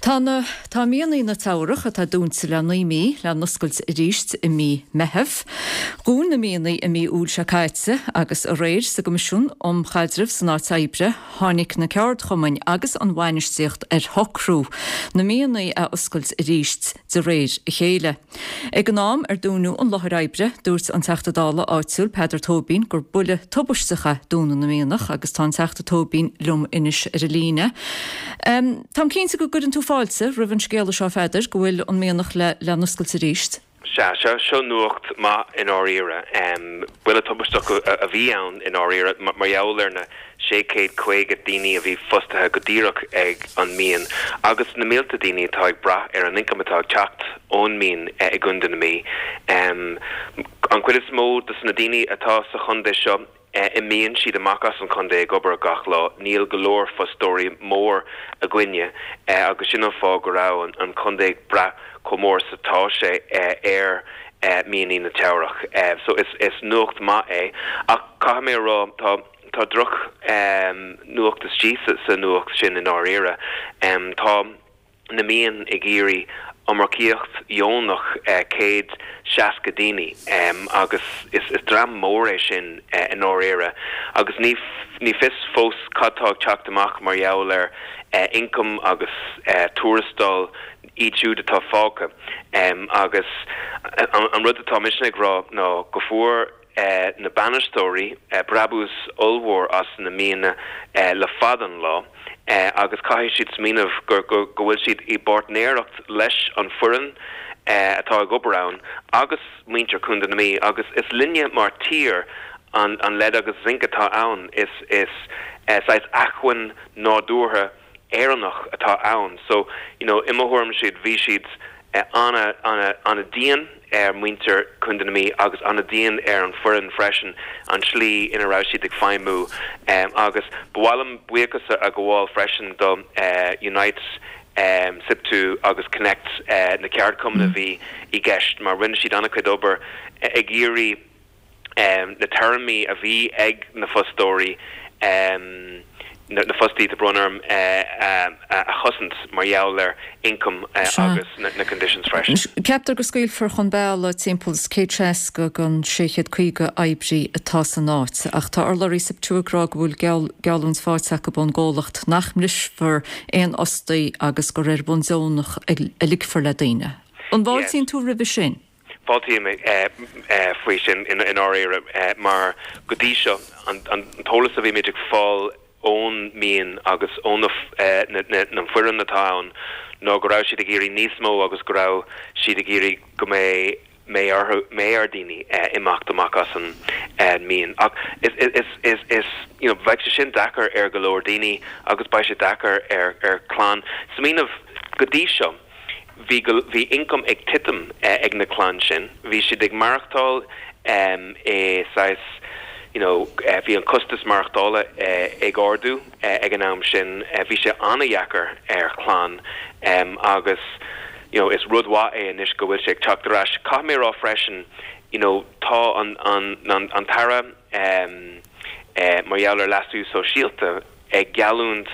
Tá na Tá mianaigh na Teamhrach, atá dúnta le 9 mí, le n-oscailt arís i mí Meitheamh. Dhún na mianaigh i mí Iúil seo caite agus aréir sa gCoimisiún um Chaidreamh san Áit Oibre tháinig na ceardchumainn agus an bhainistíocht ar shocrú na mianaigh a oscailt arís de réir a chéile. Ag an am ar dúnadh an láthair oibre, dúirt an Teachta Dála áitiúil Peadar Tóibín gur buille tubaisteach é dúnadh na mianach agus tá an Teachta Tóibín liom anois ar an líne. Táim cinnte go gcuireann tú fáilte roimh an scéala seo a Pheadair, go bhfuil an mianach le le n-oscailt arís. Sea, seo seo nuacht maith i ndáiríre. Buille tubaisteach a bhí ann i ndáiríre mar gheall ar na 650 daoine a bhí fostaithe go díreach ag an mian agus na mílte daoine atá ag brath ar an ioncam atá ag teacht ón mian i gContae na Mí. An chuid is mó de na daoine atá sa chontae seo, imíonn siad amach as an chontae ag obair gach lá. Níl go leor fostóirí mór againne agus sin an fáth go raibh an contae ag brath chomh mór is atá sé ar mianaigh na Teamhrach. So is nuacht maith é ach caithfidh mé a rá tá Tá droch nuacht istigh sa nuacht sin i ndáiríre. Tá na mian ag iarraidh iomarcaíocht dheonach 160 daoine agus is dream mór é sin i ndáiríre agus ní ní fios fós cad tá ag teacht amach mar gheall ar ioncam agus tuarastal iad siúd atá fágtha agus an rud atá mise ag rá ná go fuair na bainisteoirí brabús ollmhór as na mianaigh le fada an lá agus caithfidh siad smaoineamh go bhfuil siad i bpáirtnéireacht leis an foireann atá ag obair ann agus muintir Chontae na Mí agus is linne mar tír an lead agus zinc atá ann. Is saghas acmhainn nádúrtha Éireannach atá ann so you know i mo thuairimse bhí siad ana ana ana dian ar muintir Chontae na Mí agus ana dian ar an foireann freisin an tslí ina raibh siad ag feidhmiú agus ba mhaith liom buíochas a ghabháil freisin do Unite, SIPTU agus Connect na ceardchumainn a bhí i gceist mar rinne siad ana chuid obair ag iarraidh na téarmaí a bhí ag na fostóirí, na fostaí, tá brón orm, a chosaint mar gheall ar ioncam agus na conditions freisin. Ceaptar go scaoilfear chun bealaigh timpeall is 160 den 650 oibrí atá san áit ach tá urlabhraí SIPTU ag rá go bhfuil geallúint faighte acu ón gcomhlacht nach mbrisfear aon fhostaí agus gur ar bhonn deonach a ligfear le daoine. An bhfáiltíonn tú roimhe sin? Fáiltím faoi sin i ndáiríre mar go dtí seo an t-eolas a bhí muid ag fáil ón mian agus ó na foireann atá ann ná go raibh siad ag iarraidh níos mó agus go raibh siad ag iarraidh go mbeidh mbeidh orthu mbeidh ar daoine imeacht amach as an mian. Ach is is is you know bheadh sé sin deacair ar go leor daoine agus beidh sé deacair ar ar chlann. Smaoineamh go dtí seo. Bhí go, bhí ioncam ag titim ag na clann sin. Bhí siad ag maireachtáil i saghas, you know, bhí an costas maireachtála ag ardú ag an am sin. Bhí sé an-dheacair ar chlann agus, you know, is rud mhaith é anois go bhfuil sé ag teacht ar ais. Caithfidh mé a rá freisin, you know, tá an, an, an tAire mar gheall ar leasú sóisialta ag geallúint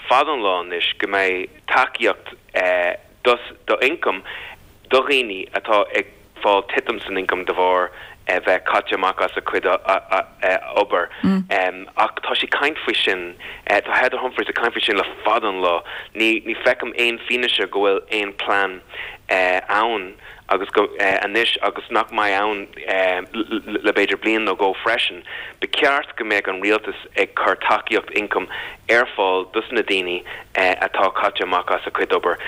fada an lá anois go mbeidh tacaíocht d'ioncam do dhaoine atá ag fáil titim san ioncam de bharr bheith caite amach as a cuid obair. Ach tá sí ag caint faoi sin, tá Heather Humphreys ag caint faoi sin le fada an lá. Ní feicim aon fianaise go bhfuil aon plean ann agus go anois agus nach mbeidh ann le b'fhéidir bliain nó dhó freisin. Ba cheart go mbeadh an rialtas ag cur tacaíocht ioncaim ar fáil dos na daoine atá caite amach as a cuid obair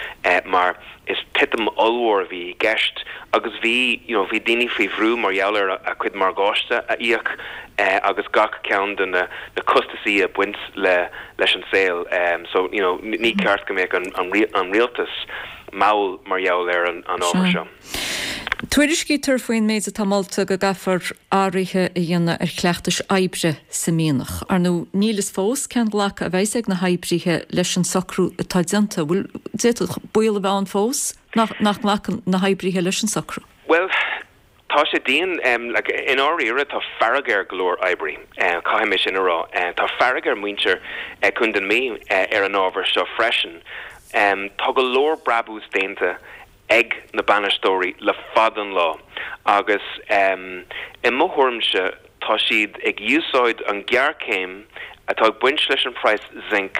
mar is titim ollmhór a bhí i gceist agus bhí you know bhí daoine faoi bhrú mar gheall ar a cuid morgáiste a íoc agus gach ceann de na na costasaí a baint le leis an saol so you know ní ceart go mbeadh an an rialtas mall mar gheall ar an ábhar seo. Tuairiscítear faoin méid atá molta go gcaithfear athruithe a dhéanamh ar chleachtais oibre sa mhianach. Ar ndóigh, níl fhios fós cén glacadh a bheas ag na hoibrithe leis an socrú atá déanta. Bhfuil, d'fhéadfadh baol a bheith ann fós nach nglacfaidh na hoibrithe leis an socrú? Bhuel, Tá sé dian. Like, i ndáiríre, tá fearg ar go leor oibrí, caithfidh mé sin a rá. Tá fearg ar mhuintir Chontae na Mí ar an ábhar seo freisin. Tá go leor brabús déanta ag na bainisteoirí le fada an lá agus i mo thuairimse tá siad ag úsáid an ghéarchéim atá ag baint leis an praghas zinc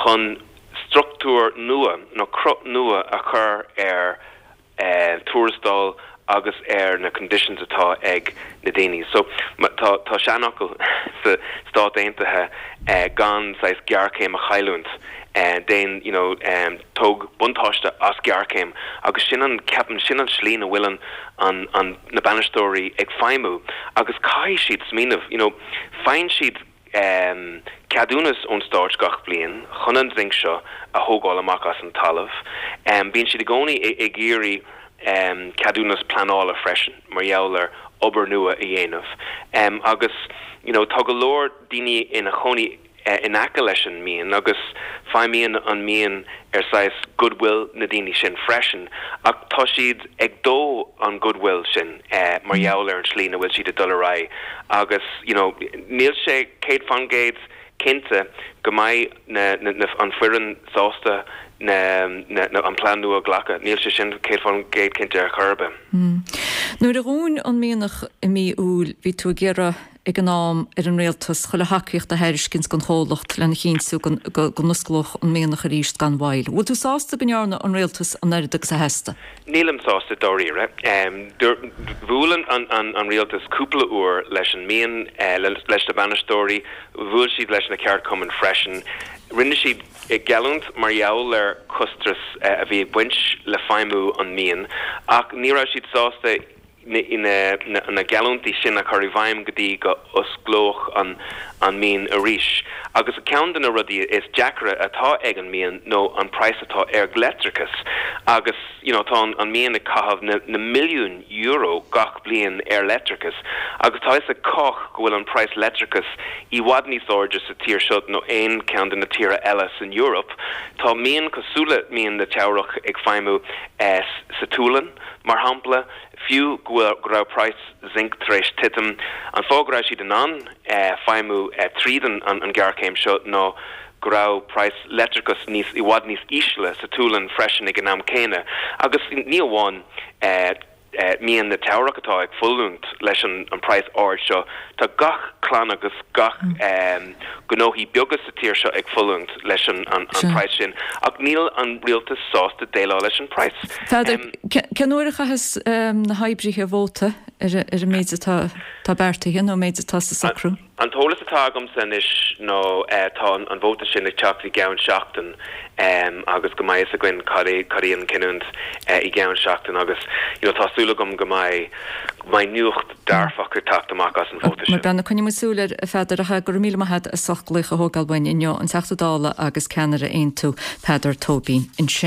chun struchtúr nua nó cruth nua a chur ar tuarastal agus ar na conditions atá ag na daoine. So tá tá seanfhocal sa Stát Aontaithe gan saghas géarchéim a chailliúint, déan you know tóg buntáiste as géarchéim agus sin an ceapaim sin an slí ina bhfuil an an an na bainisteoirí ag feidhmiú agus caithfidh siad smaoineamh you know faigheann siad ceadúnas ón stáit gach bliain chun an zinc seo a thógáil amach as an talamh. Bíonn siad i gcónaí ag iarraidh ceadúnas pleanála freisin mar gheall ar obair nua a dhéanamh. Agus you know tá go leor daoine ina chónaí in aice leis an mian agus feidhmíonn an mian ar saghas goodwill na daoine sin freisin ach tá siad ag dó an goodwill sin mar gheall ar an tslí ina bhfuil siad ag dul ar aghaidh agus you know níl sé 100% cinnte go mbeidh na na an foireann sásta na na an plean nua a ghlacadh. Níl sé sin 100% cinnte ar chor ar bith. Nuair a dhún an mianach i mí Iúil bhí tú ag iarraidh ag an am ar an rialtas chuile thacaíocht a thairiscint don chomhlacht lena chinntiú go n-osclódh an mianach arís gan mhoill. Bhfuil tú sásta go ndearna an rialtas an oiread agus a theastaigh? Nílim sásta dáiríre. Bhuail an rialtas cúpla uair leis an mian, leis na bainisteoirí, bhuail siad leis na ceardchumainn freisin. Rinne siad geallúint mar gheall ar chostais a bhí ag baint le feidhmiú an mian ach ní raibh siad sásta na geallúintí sin a chur i bhfeidhm go dtí go osclódh an mian arís. Agus ceann de na rudaí is deacra atá ag an mian nó an praghas atá ar leictreachas agus you know tá an mian ag caitheamh na na milliúin euro gach bliain ar leictreachas agus tá fhios ag cách go bhfuil an praghas leictreachas i bhfad níos airde sa tír seo nó aon cheann de na tíortha eile san Eoraip. Tá mian cosúil le mian na Teamhrach ag feidhmiú sa tSualainn. Mar shampla, fiú go bhfuil go raibh praghas zinc tar éis titim, an fáth go raibh siad in ann feidhmiú tríd an ghéarchéim seo ná go raibh praghas leictreachais níos i bhfad níos ísle sa tSualainn freisin ag an am céanna. Agus ní amháin mian na Teamhrach atá ag fulaingt leis an praghas ard seo, tá gach clann agus gach gnóthaí beaga sa tír seo ag fulaingt leis an praghas sin ach níl an rialtas sásta déileáil leis an praghas. Peadar, cén uair a chaithfeas na hoibrithe vóta ar an méid atá beartaithe nó an méid atá sa socrú? An t-eolas atá agamsa anois ná tá an vóta sin ag teacht i gceann seachtain agus go mbeidh fhios againn cad é cad í an cinniúint i gceann seachtain agus you know tá súil agam go mbeidh go mbeidh nuacht dearfach ag teacht amach as an vóta sin. Bhuel coinneoidh muid súil air a Pheadair ach go raibh míle maith agat as ucht glaoch a thógáil uainn inniu, an Teachta Dála agus ceannaire Aontú Peadar Tóibín ansin.